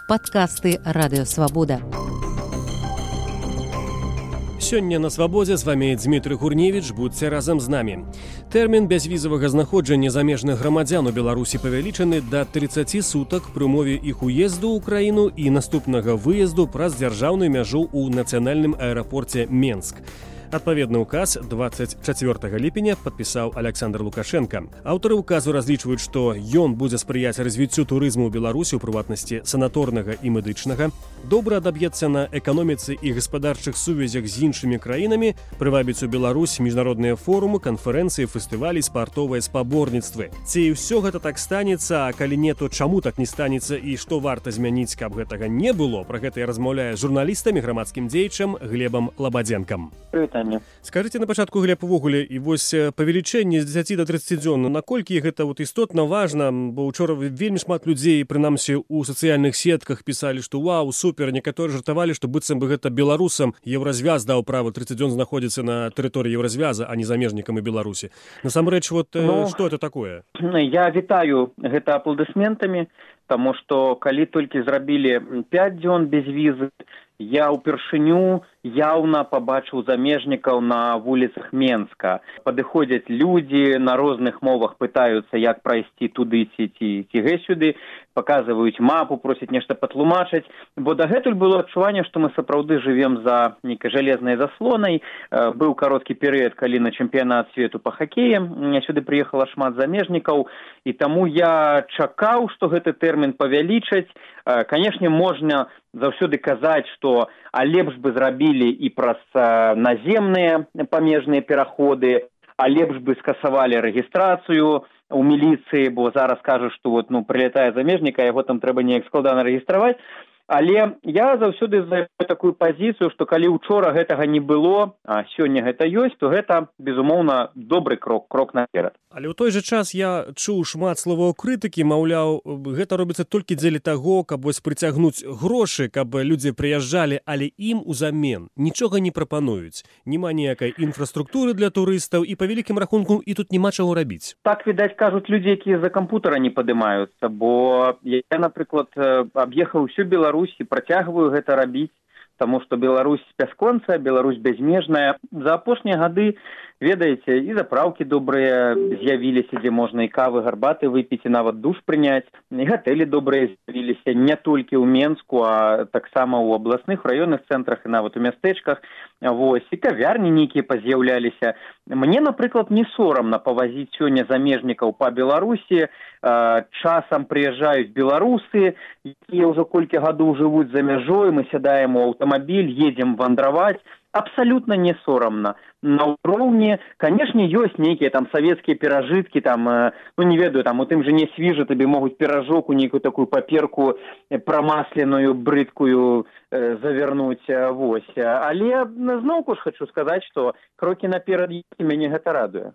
Падкасты Радыёвабода. Сёння на Свабодзе з вами Дмітрый Гурневіч, будьце разам з намі. Тэрмін бязвізавага знаходжання замежных грамадзян у Беларусі павялічаны да 30 сутак пры умове іх уезду ў краіну і наступнага выезду праз дзяржаўную мяжу ў нацыянальным аэрапорце Менск. Адпаведны ўказ 24 ліпеня падпісаў Александр Лукашенко. Аўтары ўказу разлічваюць, што ён будзе спрыяць развіццю турызму ў Беларусі, у прыватнасці санаторнага і медычнага, добра адаб'ецца на эканоміцы і гаспадарчых сувязях з іншымі краінамі, прывабіць у Беларусь міжнародныя форумы, канферэнцыі, фестывалі, спартовыя спаборніцтвы. Ці ўсё гэта так станецца, а калі не, то чаму так не станецца і што варта змяніць, каб гэтага не было? Пра гэта я размаўляю з журналістам і грамадскім дзеячам Глебам Лабадзенкам. Скажите на пачатку, Глеб, увогуле, і вось павелічэнне з 10 до 30 дзён, наколькі гэта істотна важна, бо ўчора вельмі шмат людзей, прынамсі у сацыяльных сетках, пісалі, што вау, супер, некаторы жартавалі, што быццам бы гэта беларусам Еўразвяз даў права 30 дзён знаходзіцца на тэрыторыі Еўразвяза, а не замежнікам і Беларусі. Насамрэч, што это такое? Я вітаю гэта апладысментамі, таму што калі толькі зрабілі 5 дзён без візы, я ўпершыню яўна пабачыў замежнікаў на вуліцах Менска. Падыходзяць людзі, на розных мовах пытаюцца, як прайсці туды ці сюды, паказваюць мапу, просяць нешта патлумачыць, бо дагэтуль было адчуванне, што мы сапраўды жывем за нейкай жалезнай заслонай. Быў кароткі перыяд, калі на чэмпіянат свету па хакеі сюды прыехала шмат замежнікаў, і таму я чакаў, што гэты тэрмін павялічаць. Канешне, можна заўсёды казаць, што лепш бы зрабілі і праз наземныя памежныя пераходы, а лепш бы скасавалі рэгістрацыю у міліцыі, бо зараз кажуць, што прылятае замежнік, а яго там трэба неяк складана рэгістраваць. Але я заўсёды займаю такую пазіцыю, што калі ўчора гэтага не было, а сёння гэта ёсць, то гэта, безумоўна, добры крок наперад. Але ў той жа час я чуў шмат словаў крытыкі, маўляў, гэта робіцца толькі дзеля таго, каб прыцягнуць грошы, каб людзі прыязджалі, але ім узамен нічога не прапануюць. Няма ніякай інфраструктуры для турыстаў і па вялікім рахунку і тут няма чаго рабіць. Так, відаць, кажуць людзі, якія за кампутара не падымаюцца, бо я, напрыклад, аб'ехаў усю Беларусь і працягваю гэта рабіць, таму што Беларусь бясконцая, Беларусь бязмежная. За апошнія гады, ведаеце, і запраўкі добрыя з'явіліся, дзе можна і кавы, гарбаты выпіць, і нават душ прыняць. І гатэлі добрыя з'явіліся не толькі ў Менску, а таксама ў абласных, раённых цэнтрах і нават у мястэчках. І кавярні нейкія паз'яўляліся. Мне, напрыклад, не сорамна павазіць сёння замежнікаў па Беларусі. Часам прыязджаюць беларусы, якія ўжо колькі гадоў жывуць за мяжой, мы сядаем у аўтамабіль, едзем вандраваць. Абсалютна не сорамна. На ўроўні, канешне, ёсць нейкія там савецкія перажыткі, там, не ведаю, там у тым жа не свіжа табе могуць піражок у нейкую такую паперку прамасленую, брыдкую завярнуць. Але зноўку ж хачу сказаць, што крокі наперад мяне гэта радуе.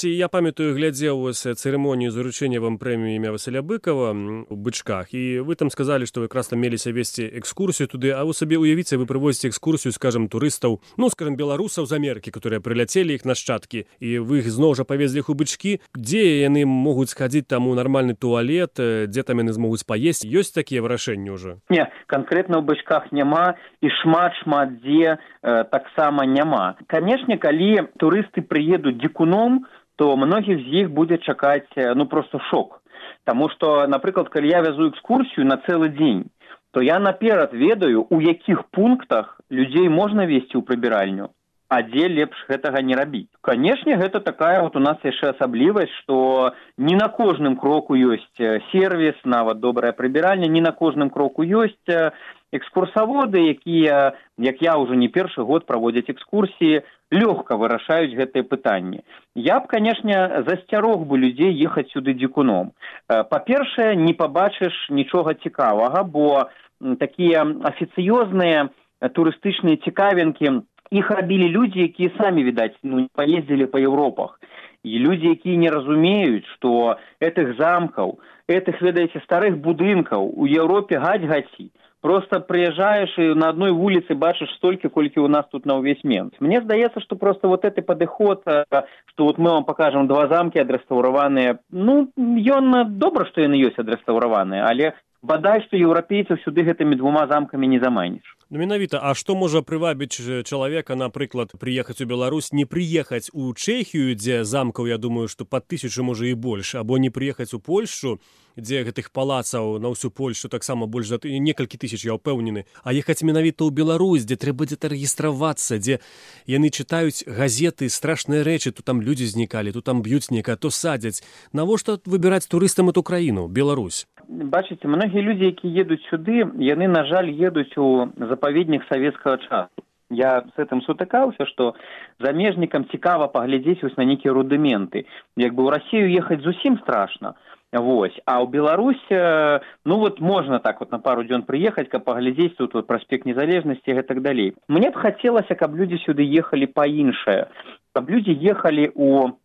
Я памятаю, глядзеў цырымонію заручэння вам прэміі імя Васіля Быкова у Бычках, і вы там сказалі, што вы якраз там меліся весці экскурсію туды, а вы сабе уявіце, вы прывозіце экскурсію, скажам, турыстаў, беларусаў з Амерыкі, которые прыляцелі іх нашчадкі, і вы зноў жа павезлі іх у Бычкі, дзе яны могуць схадзіць там у нармальны туалет, дзе там яны змогуць паесці? Ёсць такія вырашэнні ўжо? Не, канкрэтна ў Бычках няма, і шмат дзе таксама няма. Канешне, калі турысты прыедуць дзікуном, то многіх з іх будзе чакаць проста шок. Таму што, напрыклад, калі я вязу экскурсію на цэлы дзень, то я наперад ведаю, у якіх пунктах людзей можна весці ў прыбіральню, а дзе лепш гэтага не рабіць. Канешне, гэта такая у нас яшчэ асаблівасць, што не на кожным кроку ёсць сервіс, нават добрая прыбіральня, не на кожным кроку ёсць экскурсаводы, якія, як я ўжо не першы год праводзяць экскурсіі, лёгка вырашаюць гэтыя пытанні. Я б, канешне, засцярог бы людзей ехаць сюды дзікуном. Па-першае, не пабачыш нічога цікавага, бо такія афіцыёзныя турыстычныя цікавінкі іх рабілі людзі, якія самі, відаць, не паездзілі па Еўропах. І людзі, якія не разумеюць, што гэтых замкаў, гэтых, ведаеце, старых будынкаў у Еўропе гаць-гаці. Просто прыязджаеш і на адной вуліцы бачыш столькі, колькі у нас тут на ўвесь Менск. Мне здаецца, што просто вот гэты падыход, што мы вам пакажам 2 замкі адрэстаўраваныя, ён добра, што яны ёсць адрэстаўраваныя, але бадай што еўрапейцаў сюды гэтымі двума замкамі не заманіш. Ну, менавіта, а што можа прывабіць чалавека, напрыклад, прыехаць у Беларусь, не прыехаць у Чэхію, дзе замкаў, я думаю, што пад 1000, можа, і больш, або не прыехаць у Польшчу, дзе гэтых палацаў на ўсю Польшчу таксама больш за некалькі тысяч, я ўпэўнены, а ехаць менавіта ў Беларусь, дзе трэба дзе-то рэгістравацца, дзе яны чытаюць газеты, страшныя рэчы, тут там людзі знікалі, тут там б'юць некае, то садзяць. Навошта выбіраць турыстам эту краіну, Беларусь? Бачыце, многія людзі, якія едуць сюды, яны, на жаль, едуць у запаведнік савецкага часу. Я з гэтым сутыкаўся, што замежнікам цікава паглядзець вось на нейкія рудыменты. Як бы ў Расію ехаць зусім страшна. Вось. А ў Беларусь, ну вот можна так вот на пару дзён прыехаць, каб паглядзець тут вот праспект Незалежнасці і гэтак далей. Мне б хацелася, каб людзі сюды ехалі па-іншае. Каб людзі ехалі у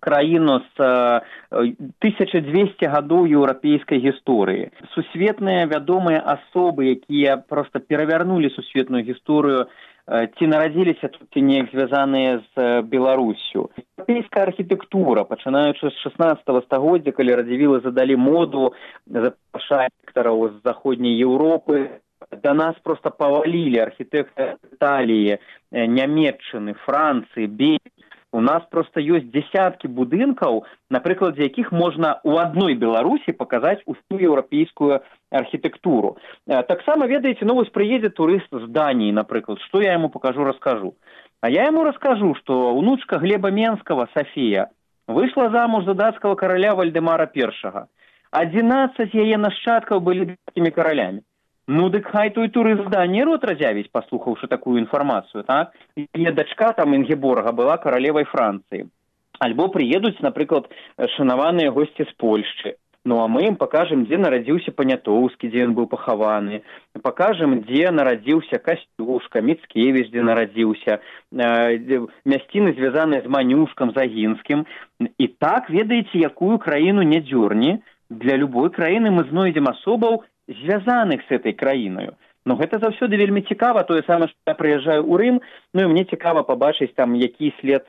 краіну з 1200 гадоў еўрапейскай гісторыі. Сусветныя вядомыя асобы, якія проста перавярнулі сусветную гісторыю, ці нарадзіліся тут, ці неяк звязаныя з Беларуссю. Еўрапейская архітэктура, пачынаючы з 16 стагоддзя, калі радзівілы задалі моду, запрашаць архітэктараў з заходняй Еўропы, да нас проста павалілі архітэктары Італіі, Нямецчыны, Францыі, Бельгіі. У нас проста ёсць дзесяткі будынкаў, на прыкладзе якіх можна ў адной Беларусі паказаць усю еўрапейскую архітэктуру. Таксама, ведаеце, ну вось прыедзе турыст з Даніі, напрыклад, што я яму пакажу, раскажу. А я яму раскажу, што унучка Глеба Менскага, Сафія, выйшла замуж за дацкага караля Вальдэмара I. 11 яе нашчадкаў былі дацкімі каралямі. Ну, дык хай той турыст з Даніі рот разявіць, паслухаўшы такую інфармацыю, так? Яе дачка там Інгеборга была каралевай Францыі. Альбо прыедуць, напрыклад, шанаваныя госці з Польшчы. Ну, а мы ім пакажам, дзе нарадзіўся Панятоўскі, дзе ён быў пахаваны. Пакажам, дзе нарадзіўся Касцюшка, Міцкевіч, дзе нарадзіўся, мясціны, звязаныя з Манюшкам, Загінскім. І так, ведаеце, якую краіну не дзёрні, для любой краіны мы знойдзем асобаў, звязаных з этой краіною. Но гэта заўсёды вельмі цікава, тое самае, што я прыязджаю ў Рым, ну і мне цікава пабачыць там, які след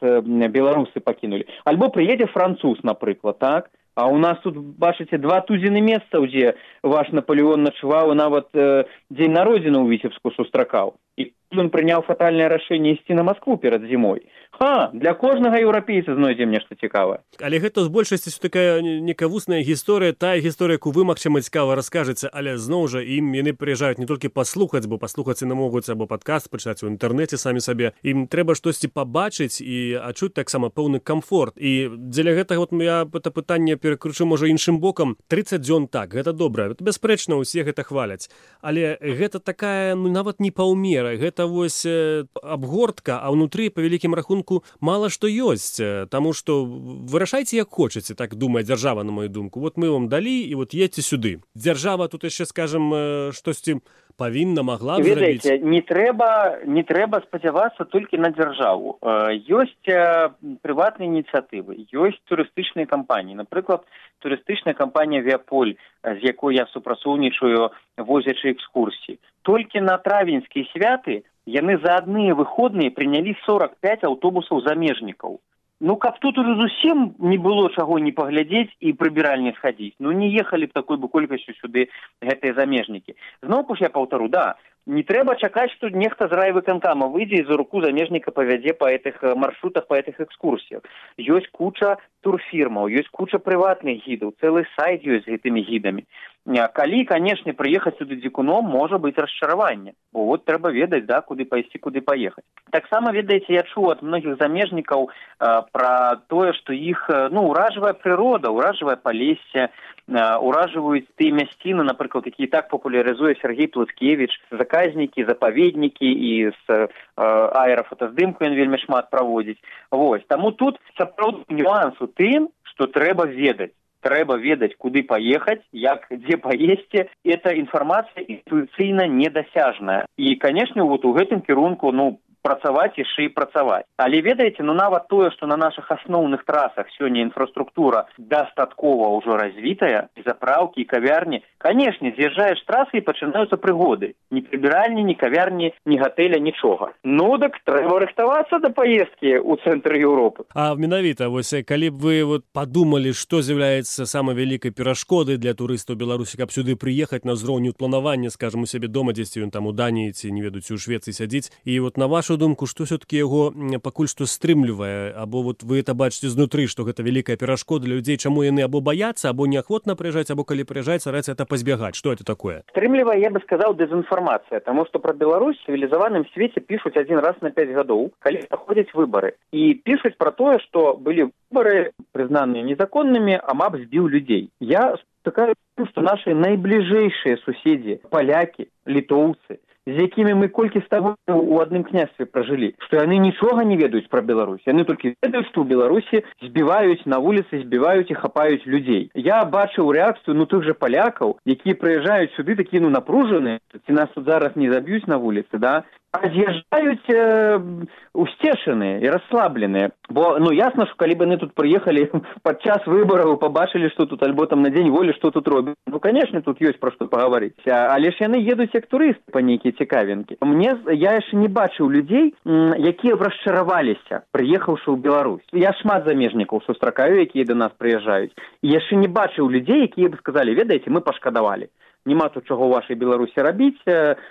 беларусы пакінулі. Альбо прыедзе француз, напрыклад, так? А у нас тут, бачыце, 2 тузіны месцаў, дзе ваш Наполеон начуваў, і нават дзень народзіны ў Віцебску сустракаў. І ён прыняў фатальнае рашэнне ісці на Маскву перад зімой. Для кожнага еўрапейца знойдзем нешта цікавае. Але гэта з большасці такая некая вусная гісторыя, тая гісторыя, якую вы, магчыма, цікава раскажаце, але зноў жа ім яны прыязджаюць не толькі паслухаць, бо паслухаць яны могуць або падкаст пачытаць у інтэрнэце самі сабе. Ім трэба штосьці пабачыць і адчуць таксама пэўны камфорт. І дзеля гэтага вот я гэта пытанне перакручу, можа, іншым бокам. 30 дзён так, гэта добра. Бясспрэчна, усе гэта хваляць. Але гэта такая, ну, нават не паўмера. Гэта вось абгортка, а ўнутры, па вялікім рахунку, мала што ёсць, таму што вырашайце як хочаце, так думае дзяржава, на мою думку. Вот мы вам далі, і вот едьце сюды. Дзяржава тут яшчэ, скажам, штосьці павінна, могла б зрабіць. Ведаеце, не трэба спадзявацца толькі на дзяржаву. Ёсць прыватныя ініцыятывы, ёсць турыстычныя кампаніі. Напрыклад, турыстычная кампанія «Віаполь», з якой я супрацоўнічаю, возячы экскурсіі. Толькі на травеньскія святы яны за адныя выходныя прынялі 45 аўтобусаў замежнікаў. Ну, каб тут уже зусім не было чаго не паглядзець і прыбіральні схадзіць. Ну, не ехалі б такой бы колькасцю сюды гэтыя замежнікі. Зноўку ж я паўтару, да, не трэба чакаць, што нехта з райвыканкама выйдзе і за руку замежніка павядзе па гэтых маршрутах, па гэтых экскурсіях. Ёсць куча турфірмаў, ёсць куча прыватных гідаў, цэлы сайт ёсць з гэтымі гідамі. Калі, канешне, прыехаць сюды дзікуном, можа быць расчараванне. Бо вот трэба ведаць, да, куды пайсці, куды паехаць. Таксама, ведаеце, я чуў ад многіх замежнікаў пра тое, што іх, ну, уражвае прырода, уражвае палессе, уражваюць тыя мясціны, напрыклад, які так папулярызуе Сергей Плыцкевіч, заказнікі, запаведнікі, і з аэрафотаздымку ён вельмі шмат праводзіць. Вось. Таму тут сапраўдны нюанс у тым, што трэба ведаць. Трэба ведаць, куды паехаць, як, дзе паесці. Эта інфармацыя інтуіцыйна недасяжная. І, канешне, вот у гэтым кірунку, ну, працаваць яшчэ і працаваць. Але ведаеце, нават тое, што на нашых асноўных трасах сёння інфраструктура дастаткова ўжо развітая, заправкі і кавярні, канешне, з'язджаеш з трасы і пачынаюцца прыгоды. Ні прыбіральні, ні кавярні, ні гатэля, нічога. Так трэба рыхтавацца да паездкі ў цэнтр Еўропы. А менавіта, калі б вы падумалі, што з'яўляецца самай вялікай перашкодай для турыстаў Беларусі, каб сюды прыехаць на ўзроўню планавання, скажам, у сябе дома, дзесьці ён там у Даніі ці, не ведаю, ці ў Швецыі сядзіць, і на вашу думку, што все-таки яго пакуль што стрымлівае, або вы это бачыце знутры, што гэта вялікая перашкода для людзей, чаму яны або баяцца, або неахвотна прыязджаць, або калі прыязджаць, стараюцца это пазбягаць. Што это такое? Стрымлівае, я бы сказаў, дэзінфармацыя, таму што пра Беларусь в цывілізаваным свеце пішуць адзін раз на 5 гадоў, калі праходзяць выбары. І пішуць пра тое, што былі выбары, прызнаныя незаконнымі, а МАП збіў людзей. Я стыкаюся, што нашы найбліжэйшыя суседзі, палякі, літоўцы, з якімі мы колькі з таго ў адным княстве пражылі, што яны нічога не ведаюць пра Беларусь. Яны толькі ведаюць, што ў Беларусі збіваюць на вуліцы, збіваюць і хапаюць людзей. Я бачыў рэакцыю тых жа палякаў, якія прыязджаюць сюды такія напружаныя, ці нас тут зараз не заб'юць на вуліцы, да? А з'язджаюць усцешаныя і расслабленыя. Бо, ясна, што калі б яны тут прыехалі падчас выбараў, пабачылі, што тут, альбо там на дзень волі, што тут робяць. Канешне, тут ёсць пра што пагаварыць. Але ж яны едуць як турысты па нейкія цікавінкі. Я яшчэ не бачыў людзей, якія б расчараваліся, прыехаўшы ў Беларусь. Я шмат замежнікаў сустракаю, якія да нас прыязджаюць. І яшчэ не бачыў людзей, якія б сказалі, ведаеце, мы пашкадавалі. Нема тут чаго ў вашай Беларусі рабіць,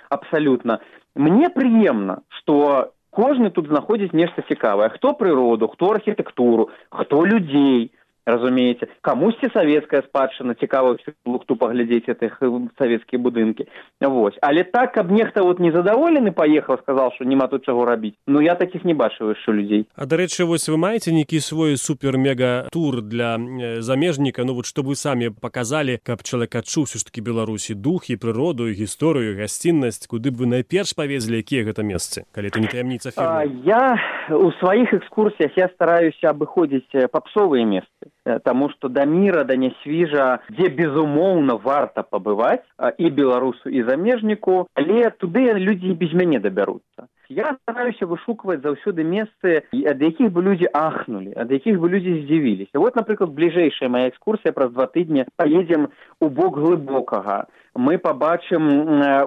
абсалютна. Мне прыемна, што кожны тут знаходзіць нешта цікавае. Хто прыроду, хто архітэктуру, хто людзей, разумееце. Камусьці савецкая спадчына, цікава ўсю лухту паглядзець гэтых савецкія будынкі. Але так, каб нехта незадаволены паехаў, сказаў, што нема тут чаго рабіць. Я такіх не бачыў яшчэ людзей. А, дарэчы, вы маеце нейкі свой супер-мега-тур для замежніка, што вы самі паказалі, каб чалавек адчуў ўсё ж такі Беларусі дух і прыроду, і гісторыю, і гасціннасць, куды б вы найперш павезлі, якія гэта месцы, калі это не таямніца фірмы? Я у сваіх экскурсіях стараюся абыходзіць папсовыя месцы. Таму што да міра, да нясвіжа, дзе, безумоўна, варта пабываць і беларусу, і замежніку, але туды людзі без мяне дабяруцца. Я стараюся вышукваць заўсёды месцы, ад якіх бы людзі ахнулі, ад якіх бы людзі здзівіліся. Напрыклад, бліжэйшая моя экскурсія праз 2 тыдні паедзем у бок Глыбокага. Мы пабачым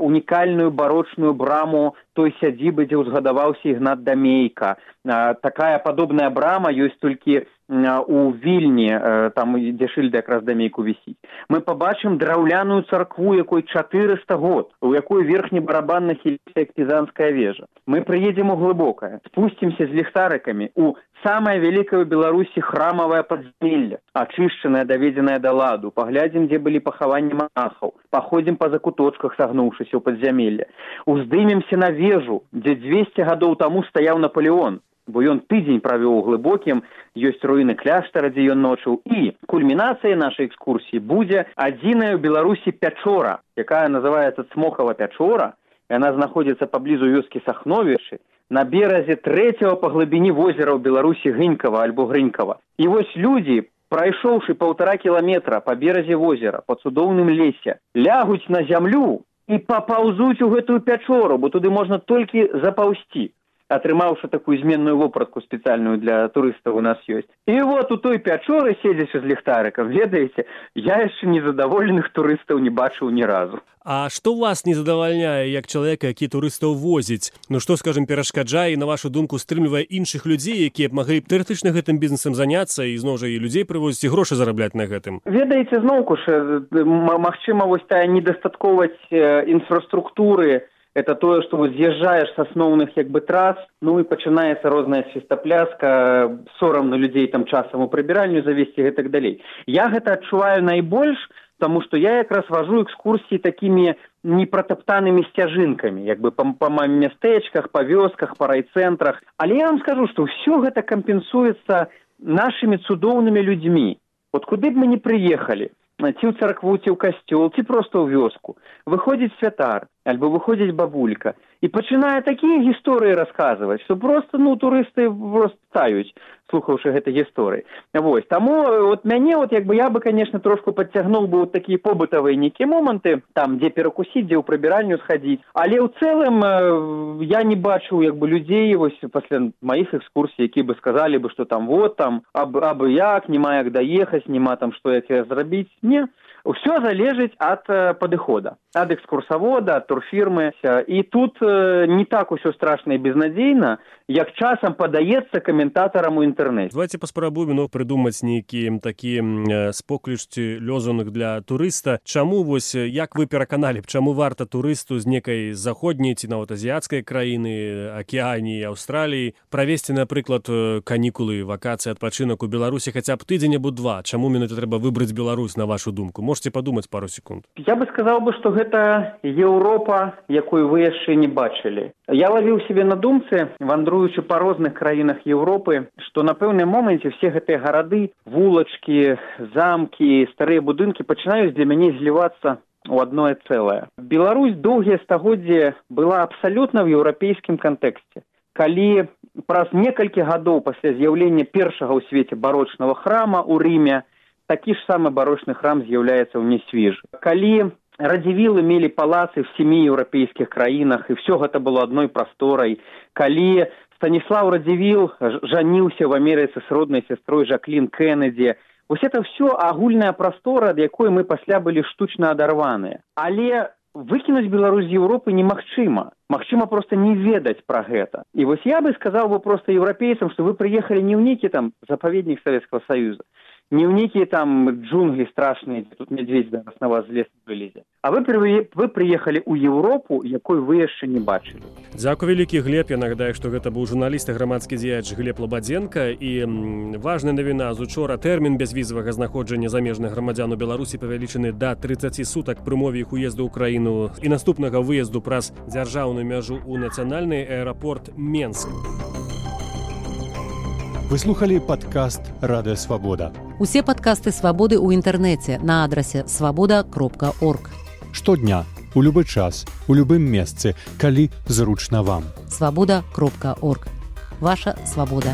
унікальную барочную браму той сядзібы, дзе ўзгадаваўся Ігнат Дамейка. Такая падобная брама ёсць толькі у Вільні, там, дзе шыльда якраз Дамейку вісіць. Мы пабачым драўляную царкву, якой 400 год, у якой верхні барабан нахіліся як пізанская вежа. Мы прыедзем у Глыбокае, спусцімся з ліхтарыкамі у самае вялікае ў Беларусі храмавае падзямелле, ачышчанае, даведзенае да ладу. Паглядзім, дзе былі пахаванні манахаў. Паходзім па закуточках, сагнуўшыся ў падзямелле. Уздымемся на вежу, дзе 200 гадоў таму стаяў Наполеон, бо ён тыдзень правёў у Глыбокім, ёсць руіны кляштара, дзе ён ночыў. І кульмінацыя нашай экскурсіі будзе адзіная ў Беларусі пячора, якая называецца Цмокава пячора. Яна знаходзіцца паблізу вёскі Сахновічы, на беразе 3-го па глыбіні возера ў Беларусі Гынькава альбо Грынькава. І людзі, прайшоўшы 1,5 кіламетра па беразе возера, па цудоўным лесе, лягуць на зямлю і папаўзуць у гэтую пячору, бо туды можна толькі запаўсці. Атрымаўшы такую зменную вопратку спецыяльную для турыстаў у нас ёсць. І у той пячоры, седзячы з ліхтарыкам, ведаеце, я яшчэ незадаволеных турыстаў не бачыў ні разу. А што вас не задавальняе, як чалавека, які турыстаў возіць? Што, скажам, перашкаджае і, на вашу думку, стрымлівае іншых людзей, якія б маглі тэарэтычна гэтым бізнесам заняцца і, зноў жа, і людзей прывозіць, і грошы зарабляць на гэтым? Ведаеце, зноўку ж, магчыма, тая недастатковасць інфраструктуры, это тое, што з'язджаеш з асноўных трас, і пачынаецца розная свістапляска, сорамна людзей там часам у прыбіральню завесці і гэтак далей. Я гэта адчуваю найбольш, таму што я якраз важу экскурсіі такімі непратаптанымі сцяжынкамі, па мястэчках, па вёсках, па райцэнтрах. Але я вам скажу, што ўсё гэта кампенсуецца нашымі цудоўнымі людзьмі. Куды б мы не прыехалі, ці ў царкву, ці ў касцёл, ці проста ў вёску, выходзіць святар, альбо выходзіць бабулька, і пачынае такія гісторыі расказваць, што проста, турысты просто таюць, слухаўшы гэтай гісторыі. Вось, таму мяне, я бы, конечно, трошку падцягнуў бы такія побытавыя нейкія моманты, там, дзе перакусіць, дзе ў прыбіральню схадзіць, але ў цэлым я не бачыў, людзей, вось, пасля маіх экскурсій, якія бы сказалі бы, што там, абы як, нема як даехаць, нема там, што як зрабіць. Не. Усё залежыць ад падыхода, ад экскурсавода, ад турфірмы. І тут не так усё страшна і безнадзейна, як часам падаецца каментатарам у інтэрнэце. Давайте паспрабуем прыдумаць нейкі такі споклічці лёзунак для турыста. Чаму, як вы пераканалі, чаму варта турысту з некай заходняй ці нават азіяцкай краіны, Акіяніі, Аўстраліі правесці, напрыклад, канікулы, вакацыі, адпачынак у Беларусі хаця б тыдзень або два? Чаму менавіта трэба выбраць Беларусь, на вашу думку? Можете падумаць пару секунд. Я бы сказаў, што гэта Еўропа, якую вы яшчэ не бачылі. Я лавіў сябе на думцы, вандруючы па розных краінах Еўропы, што на пэўным моменце все гэтыя гарады, вулачкі, замкі, старыя будынкі пачынаюць для мяне злівацца у адное цэлае. Беларусь доўгія стагоддзі была абсалютна ў еўрапейскім кантэксце. Калі праз некалькі гадоў пасля з'яўлення першага ў свеце барочнага храма ў Рыме такі ж самы барочны храм з'яўляецца ў Несвіжы. Калі радзівілы мелі палацы в 7 еўрапейскіх краінах, і все гэта было адной прасторай, калі Станіслаў Радзівіл жаніўся в Амерыцы з роднай сястрой Жаклін Кеннеді, вось это все агульная прастора, ад якой мы пасля былі штучна адарваныя. Але выкінуць Беларусь з Еўропы немагчыма. Магчыма проста не ведаць пра гэта. І вось я бы сказаў проста еўрапейцам, што вы прыехалі не ў нейкі там запаведнік Савецкага Саюза, не ў нейкія там джунглі страшныя, дзе тут мядзведзь зараз на вас з лесу вылезе. А вы прыехалі ў Еўропу, якой вы яшчэ не бачылі. Дзякуй вялікі, Глеб. Я нагадаю, што гэта быў журналіст і грамадскі дзеяч Глеб Лабадзенка. І важная навіна з учора: тэрмін бязвізавага знаходжання замежных грамадзян у Беларусі павялічаны да 30 сутак пры умове іх уезду ў краіну і наступнага выезду праз дзяржаўную мяжу ў нацыянальны аэрапорт Менск. Вы слухали падкаст «Радыё Свабода». Усе падкасты «Свабоды» ў інтэрнэце на адрасе swaboda.org. Штодня, у любы час, у любым месцы, калі зручна вам. swaboda.org. Ваша свабода.